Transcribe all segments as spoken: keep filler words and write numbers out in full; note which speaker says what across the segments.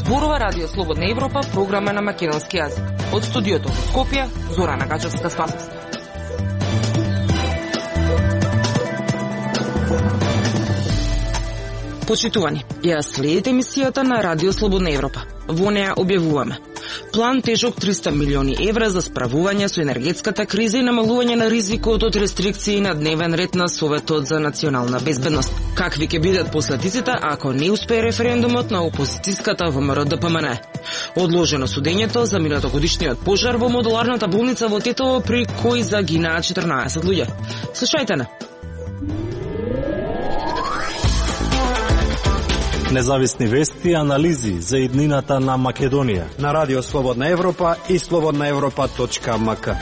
Speaker 1: Зборува Радио Слободна Европа, програма на македонски јазик. Од студиото во Скопје, Зорана Гачевска-Спасовска. Почитувани, ја следите емисијата на Радио Слободна Европа. Во неја објавуваме план тежок триста милиони евра за справување со енергетската криза и намалување на ризикот од рестрикции на дневен ред на Советот за национална безбедност. Какви ќе бидат последиците ако не успее референдумот на опозицијската ВМРО Д П М Н? Одложено судењето за минатогодишниот пожар во модуларната болница во Тетово, при кој загинаа четрнаесет луѓе. Слушајте на.
Speaker 2: Независни вести и анализи за иднината на Македонија
Speaker 3: на Радио Слободна Европа и слободна европа точка м к.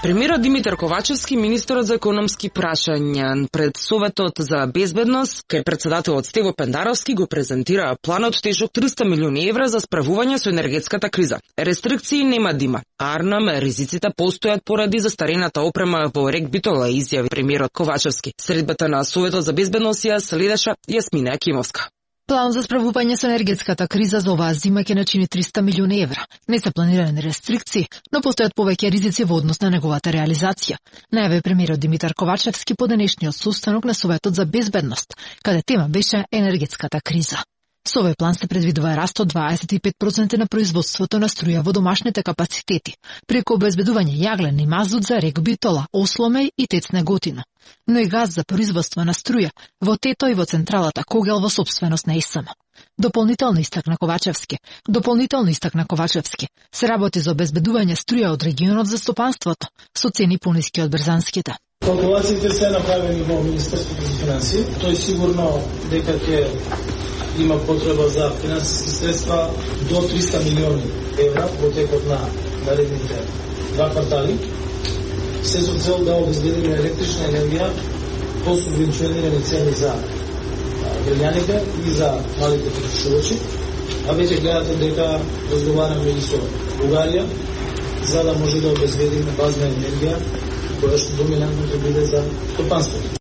Speaker 1: Премиерот Димитар Ковачевски, министерот за економски прашања пред Советот за безбедност, кај председателот Стево Пендаровски го презентираа планот тежок триста милиони евра за справување со енергетската криза. Рестрикции нема да има. Арнам, ризиците постојат поради застарената опрема во РЕК Битола, изјави премиерот Ковачевски. Средбата на Советот за безбедност ја следеше Јасмина Акимовска.
Speaker 4: План за справување со енергетската криза за оваа зима ќе начини триста милиони евра. Не се планирани рестрикции, но постојат повеќе ризици во однос на неговата реализација, најави премиерот Димитар Ковачевски по денешниот состанок на Советот за безбедност, каде тема беше енергетската криза. Со овој план се предвидува раст од дваесет и пет проценти на производството на струја во домашните капацитети, преку обезбедување јаглен и мазут за РЕК Битола, Осломеј и ТЕЦ Неготино, но и газ за производство на струја во Тето и во централата Когел во собственост на ИСМ. Дополнително истакна Ковачевски, дополнително истакна Ковачевски, се работи за обезбедување струја од регионот за стопанството, со цени пониски од брзанските.
Speaker 5: Калкулациите се направени во Министерството за финансии. Тој сигурно дека ќе има потреба за финансиски средства до триста милиони евра во текот на наредните два квартали. Се со цел да обезбедиме електрична енергија по субвенционирани цени за граѓаните и за малите потрошувачи. А веќе гледате дека разговараме и со Бугарија за да може да обезбедиме базна енергија која што доминантно ќе биде за стопанството.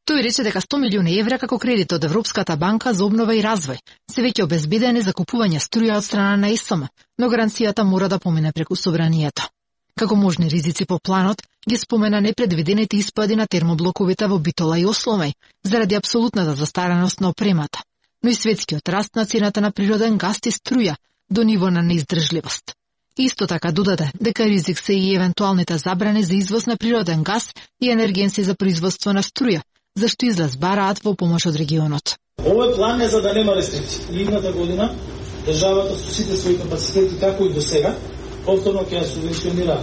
Speaker 4: Тој рече дека сто милиони евра како кредит од Европската банка за обнова и развој се веќе обезбедени за купување струја од страна на ИСМ, но гаранцијата мора да помине преку собранието. Како можни ризици по планот, ги спомена непредвидените испади на термоблоковите во Битола и Осломеј заради апсолутната застареност на опремата, но и светскиот раст на цената на природен газ и струја до ниво на неиздржливост. Исто така додаде дека ризик се и евентуалните забрани за извоз на природен газ и енергенси за производство на струја, зашто излез бараат во помош од регионот.
Speaker 5: Овој план е за да нема рестрикции. Идната година државата со сите своји капацитети, како и до сега, повторно ќе ја субвенционира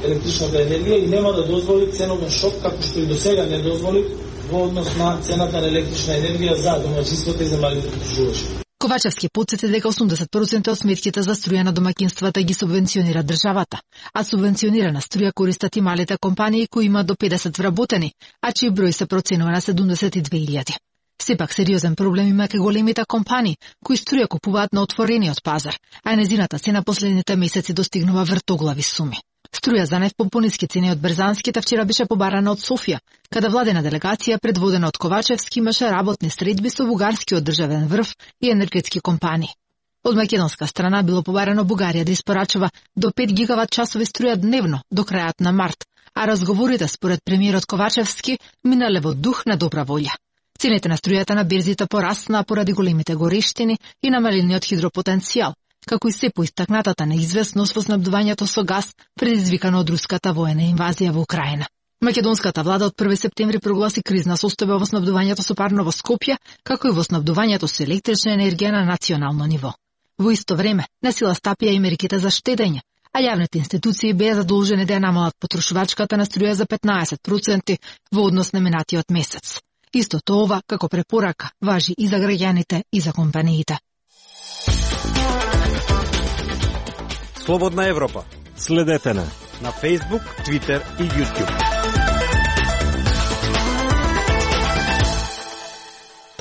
Speaker 5: електричната енергија и нема да дозволи ценовен шок, како што и до сега не дозволи во однос на цената на електрична енергија за домаќинствата и за малите потрошувачи.
Speaker 4: Ковачевски потсети дека осумдесет проценти од сметките за струја на домаќинствата ги субвенционира државата, а субвенционирана струја користат и малите компании кои имаат до педесет вработени, а чиј број се проценува на седумдесет и две илјади. Сепак сериозен проблем има кај големите компании кои струја купуваат на отворениот пазар, а незината цена последните месеци достигнува вртоглави суми. Струја за нефт по пониски цени од брзанските вчера беше побарана од Софија, каде владена делегација предводена од Ковачевски имаше работни средби со бугарскиот државен врв и енергетски компании. Од македонска страна било побарано Бугарија да испорачува до пет гигават часови струја дневно до крајот на март, а разговорите според премиерот Ковачевски минале во дух на добра волја. Цените на струјата на берзите пораснаа поради големите горештини и намалениот хидропотенцијал, како и се поистакнатата неизвестност во снабдувањето со газ предизвикано од руската воена инвазија во Украина. Македонската влада од први септември прогласи кризна состојба во снабдувањето со парно во Скопје, како и во снабдувањето со електрична енергија на национално ниво. Во исто време, на сила стапија и мерките за штедење, а јавните институции беа задолжени да ја намалат потрошувачката на струја за петнаесет проценти во однос на минатиот месец. Истото ова, како препорака, важи и за граѓаните и за компаниите.
Speaker 3: Слободна Европа.
Speaker 2: Следете на
Speaker 3: на Facebook, Twitter и YouTube.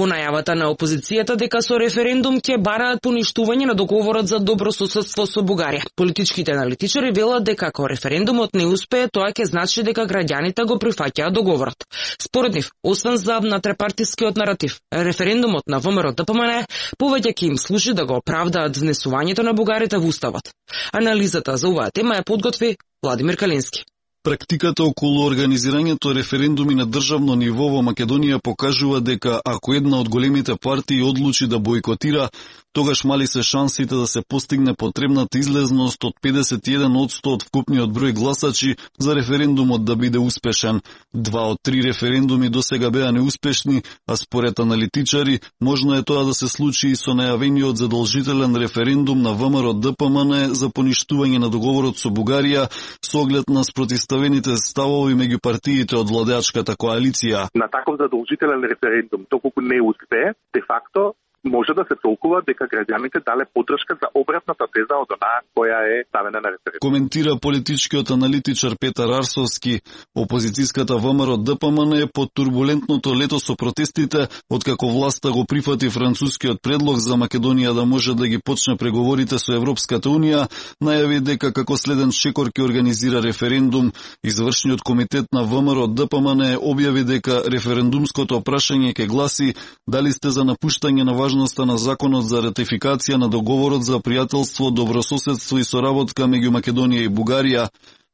Speaker 1: По најавата на опозицијата дека со референдум ќе бараат поништување на договорот за добрососедство со Бугарија. Политичките аналитичари велат дека ако референдумот не успее, тоа ќе значи дека граѓаните го прифаќаат договорот. Според нив, освен за натрепартискиот наратив, референдумот на ВМРО Д П М Н повеќе ќе им служи да го оправдаат внесувањето на бугарите во уставот. Анализата за оваа тема ја подготви Владимир Калински.
Speaker 6: Практиката околу организирањето референдуми на државно ниво во Македонија покажува дека ако една од големите партии одлучи да бойкотира, тогаш мали се шансите да се постигне потребната излезност од педесет и еден одсто од вкупниот број гласачи за референдумот да биде успешен. Два од три референдуми досега беа неуспешни, а според аналитичари, можно е тоа да се случи и со најавениот задолжителен референдум на ВМРО Д П М Н за поништување на договорот со Бугарија со оглед на спротивставените ставови меѓу партиите од владеачката коалиција.
Speaker 7: На таков задолжителен референдум, доколку не успее, де факто може да се толкува дека граѓаните дале поддршка за обратната теза од онаа која е ставена на референдум.
Speaker 6: Коментира политичкиот аналитичар Петар Арсовски. Опозицијската ВМРО Д П М Н е под турбулентното лето со протестите, откако власта го прифати францускиот предлог за Македонија да може да ги почне преговорите со Европската Унија, најави дека како следен чекор ќе организира референдум. Извршниот комитет на ВМРО Д П М Н објави дека референдумското прашање ќе гласи дали сте за напуштање на важноста на законот за ратификација на договорот за пријателство, добрососедство и соработка меѓу Македонија и Бугарија.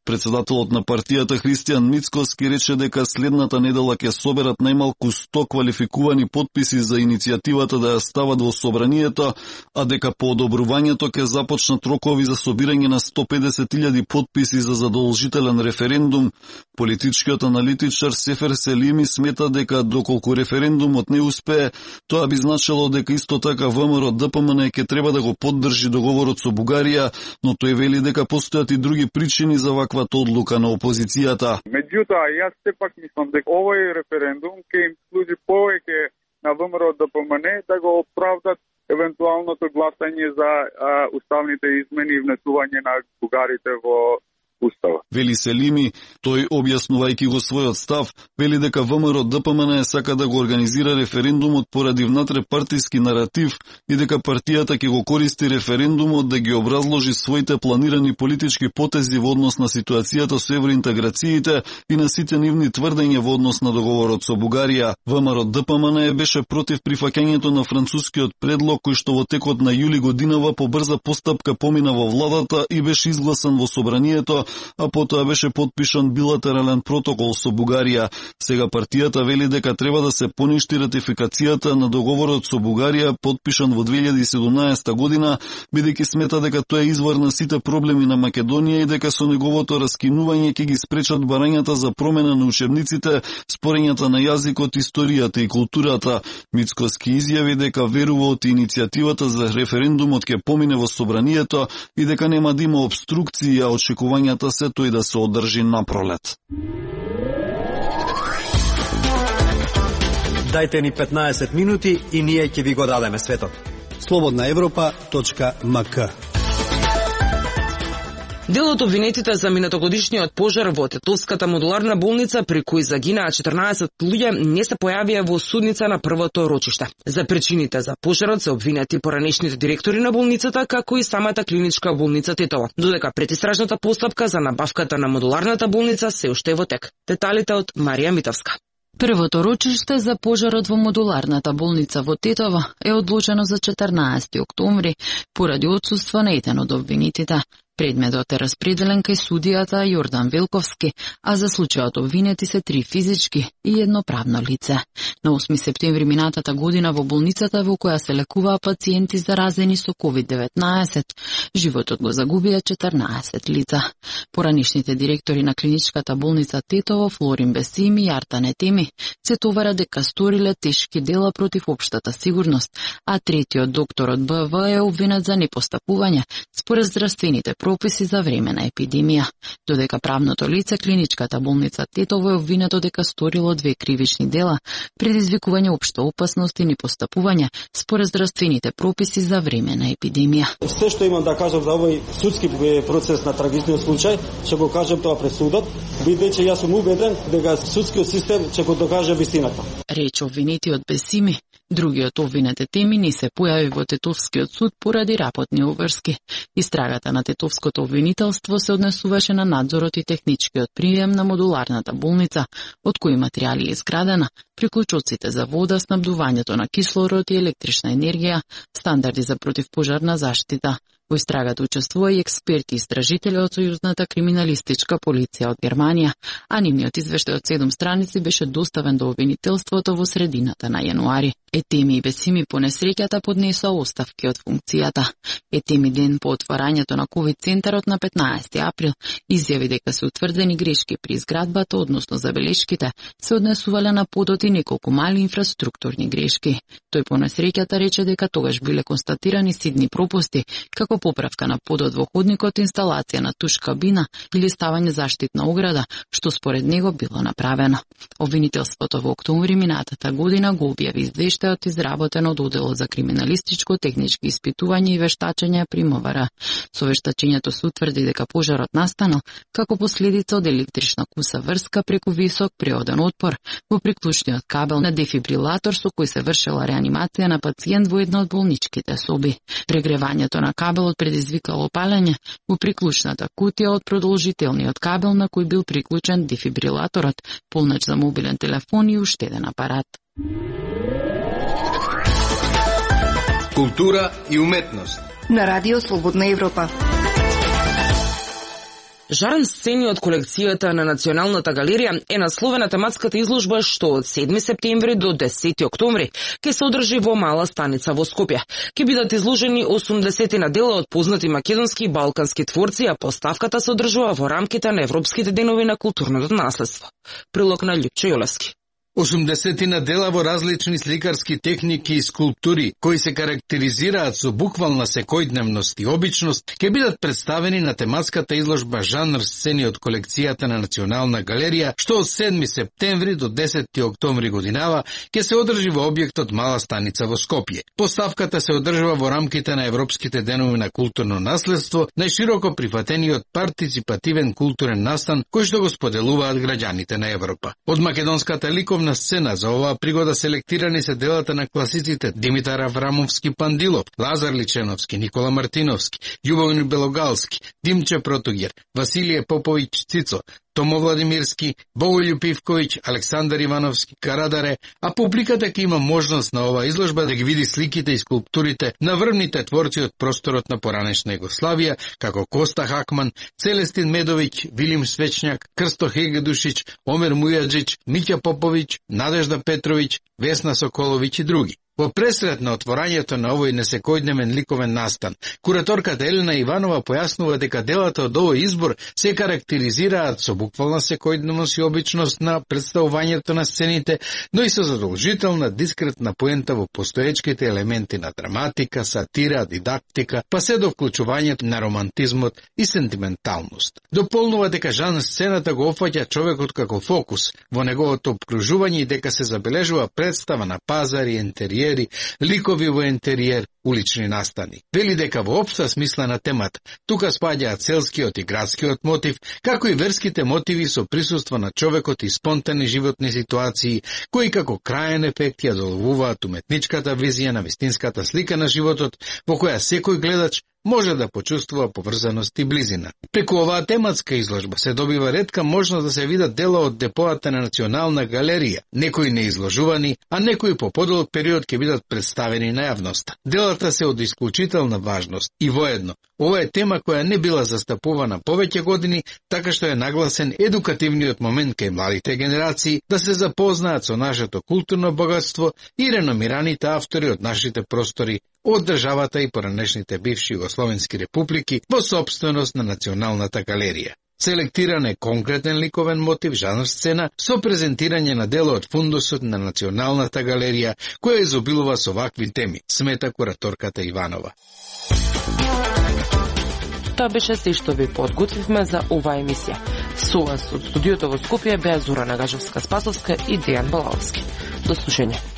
Speaker 6: Председателот на партијата Христијан Мицкоски рече дека следната недела ќе соберат најмалку сто квалификувани потписи за иницијативата да ја стават во собранието, а дека по одобрувањето ќе започнат рокови за собирање на сто педесет илјади потписи за задолжителен референдум. Политичкиот аналитичар Сефер Селими смета дека доколку референдумот не успее, тоа би значило дека исто така ВМРО Д П М Н ќе треба да го поддржи договорот со Бугарија, но тој вели дека постојат и други причини за ваква одлука на опозицијата.
Speaker 8: Меѓутоа, јас сепак мислам дека овој референдум ќе им служи повеќе на ВМРО Д П М Н да го оправдат евентуалното гласање за а, уставните измени и внесување на бугарите во Устава.
Speaker 6: Вели Селими, тој објаснувајќи го својот став, вели дека ВМРО Д П М Н сака да го организира референдумот поради внатрепартиски наратив и дека партијата ќе го користи референдумот да ги образложи своите планирани политички потези во однос на ситуацијата со евроинтеграциите и на сите нивни тврдења во однос на договорот со Бугарија. ВМРО Д П М Н беше против прифаќањето на францускиот предлог кој што во текот на јули годинава по брза постапка помина во владата и беше изгласан во собранието, а потоа беше подпишан билатерален протокол со Бугарија. Сега партијата вели дека треба да се поништи ратификацијата на договорот со Бугарија, подпишан во две илјади и седумнаесета година, бидејќи смета дека тоа е извор на сите проблеми на Македонија и дека со неговото раскинување ќе ги спречат барањата за промена на учебниците, спорењата на јазикот, историјата и културата. Мицкоски изјави дека верува од иницијативата за референдумот ќе помине во собранието и дека нема да има обструкции, а очекувањата се тој да се одржи на пролет.
Speaker 3: Дајте ни петнаесет минути и ние ќе ви го дадеме светот. слободна европа точка м к.
Speaker 1: Дел од обвинетите за минатогодишниот пожар во Тетовската модуларна болница, при кој загинаа четрнаесет луѓе, не се појавија во судница на првото рочиште. За причините за пожарот се обвинети поранешните директори на болницата, како и самата клиничка болница Тетово, додека предистражната постапка за набавката на модуларната болница се уште е во тек. Деталите од Марија Митовска.
Speaker 9: Првото рочиште за пожарот во модуларната болница во Тетово е одлучено за четрнаесети октомври поради отсуство на еден од обвинетите. Предметот е распределен кај судијата Јордан Велковски, а за случајот обвинети се три физички и едно правно лице. На осми септември минатата година во болницата во која се лекуваа пациенти заразени со ковид деветнаесет, животот го загубија четрнаесет лица. Поранишните директори на клиничката болница Тетово, Флорин Бесими и Арта Нетеми, се товара дека сториле тешки дела против општата сигурност, а третиот докторот Б В е обвинет за непостапување според здравствените прописи за време на епидемија, додека правното лице клиничката болница Тетово е обвинето дека сторило две кривични дела, предизвикување општа опасност и непостапување според здравствените прописи за време на епидемија.
Speaker 10: Се што имам да кажам за овој судски процес на трагичниот случај, ќе го кажам тоа пред судот, бидејќи јас сум убеден дека судскиот систем ќе го докаже вистината.
Speaker 9: Рече обвинетиот Бесими, Другиот обвинете теми не се појави во Тетовскиот суд поради работни обврски. Истрагата на Тетовското обвинителство се однесуваше на надзорот и техничкиот прием на модуларната болница, од кои материјали е изградена, приклучоците за вода, снабдувањето на кислород и електрична енергија, стандарди за противпожарна заштита. Во истрагата учествува и експерти и истражители од Сојузната криминалистичка полиција од Германија, а нивниот извештај од седум страници беше доставен до обвинителството во средината на јануари. Етеми и Бесими по несреќата поднесоа оставки од функцијата. Етеми ден по отварањето на ковид центарот на петнаесети април изјави дека се утврдени грешки при изградбата, односно забелешките се однесувале на подот и неколку мали инфраструктурни грешки. Тој по несреќата рече дека тогаш биле констатирани ситни пропусти, како поправка на подот во ходникот, инсталација на туш кабина или ставање заштитна ограда, што според него било направено. Обвинителството во октомври минатата година го објави извештајот изработен од Оделот за криминалистичко, технички испитување и вештачење при МВР. Со вештачењето се утврди дека пожарот настанал како последица од електрична куса врска преку висок преоден отпор во приклучниот кабел на дефибрилатор со кој се вршела реанимација на пациент во една од болничките соби. Прегревањето на кабелот предизвикало палење во приклучната кутија од продолжителниот кабел на кој бил приклучен дефибрилаторот, полнач за мобилен телефон и уштеден апарат.
Speaker 11: Култура и уметност
Speaker 12: на Радио Слободна Европа.
Speaker 1: Жарен сцени од колекцијата на Националната галерија е насловена тематската изложба што од седми септември до десети октомври ќе се одржи во Мала Станица во Скопје. Ќе бидат изложени осумдесетина дела од познати македонски и балкански творци, а поставката се одржува во рамките на Европските денови на културното наследство. Прилог на Љупчо Јолевски.
Speaker 11: осумдесетина дела во различни сликарски техники и скулптури, кои се карактеризираат со буквална секојдневност и обичност, ќе бидат представени на тематската изложба Жанр сцени од колекцијата на Национална галерија, што од седми септември до десети октомври годинава ќе се одржи во објектот Мала Станица во Скопје. Поставката се одржува во рамките на Европските денови на културно наследство, најшироко прифатениот партиципативен културен настан кој што го споделуваат граѓаните на Европа. Од македонската ликовна на сцена за оваа пригода селектирани се делата на класиците Димитар Аврамовски Пандилов, Лазар Личеновски, Никола Мартиновски, Љубомир Белогалски, Димче Протугер, Василije Поповиќ Цицо, Томо Владимирски, Боголју Пивковиќ, Александар Ивановски, Карадаре, а публиката ќе има можност на оваа изложба да ги види сликите и скулптурите на врвните творци од просторот на поранешна Југославија, како Коста Хакман, Целестин Медовиќ, Вилим Свечњак, Крсто Хегедушиć, Омер Мујаджиć, Миќа Поповиć, Надежда Петровиć, Весна Соколовиć и други. Во пресред на отворањето на овој несекојдневен ликовен настан, кураторката Елена Иванова појаснува дека делата од овој избор се карактеризираат со буквална секојдневност и обичност на представувањето на сцените, но и со задолжителна дискретна поента во постоечките елементи на драматика, сатира, дидактика, па се до вклучувањето на романтизмот и сентименталност. Дополнува дека жанр сцената го опфаќа човекот како фокус во неговото обкружување и дека се забележува представа на пазари, интериер, ликови во интериер, улични настани. Вели дека во општа смислена темата тука спаѓаат селскиот и градскиот мотив, како и верските мотиви со присуство на човекот и спонтани животни ситуации, кои како крајен ефект ја доловуваат уметничката визија на вистинската слика на животот, во која секој гледач може да почувствува поврзаност и близина. Преку оваа тематска изложба се добива ретка можност да се видат дела од депоата на Национална галерија, некои неизложувани, а некои по подолг период ќе бидат представени на јавноста. Делата се од исклучителна важност и воедно. Ова е тема која не била застапувана повеќе години, така што е нагласен едукативниот момент кај младите генерации да се запознаат со нашето културно богатство и реномираните автори од нашите простори, од државата и поранешните бивши југословенски републики во собственост на Националната галерија. Селектиран е конкретен ликовен мотив, жанр сцена, со презентирање на дело од фундусот на Националната галерија, која изобилува со вакви теми, смета кураторката Иванова.
Speaker 1: Тоа беше се што ви подготвивме за оваа емисија. Со вас од студиото во Скопје беа Зора Нагажевска-Спасовска и Дејан Балаловски. До слушање.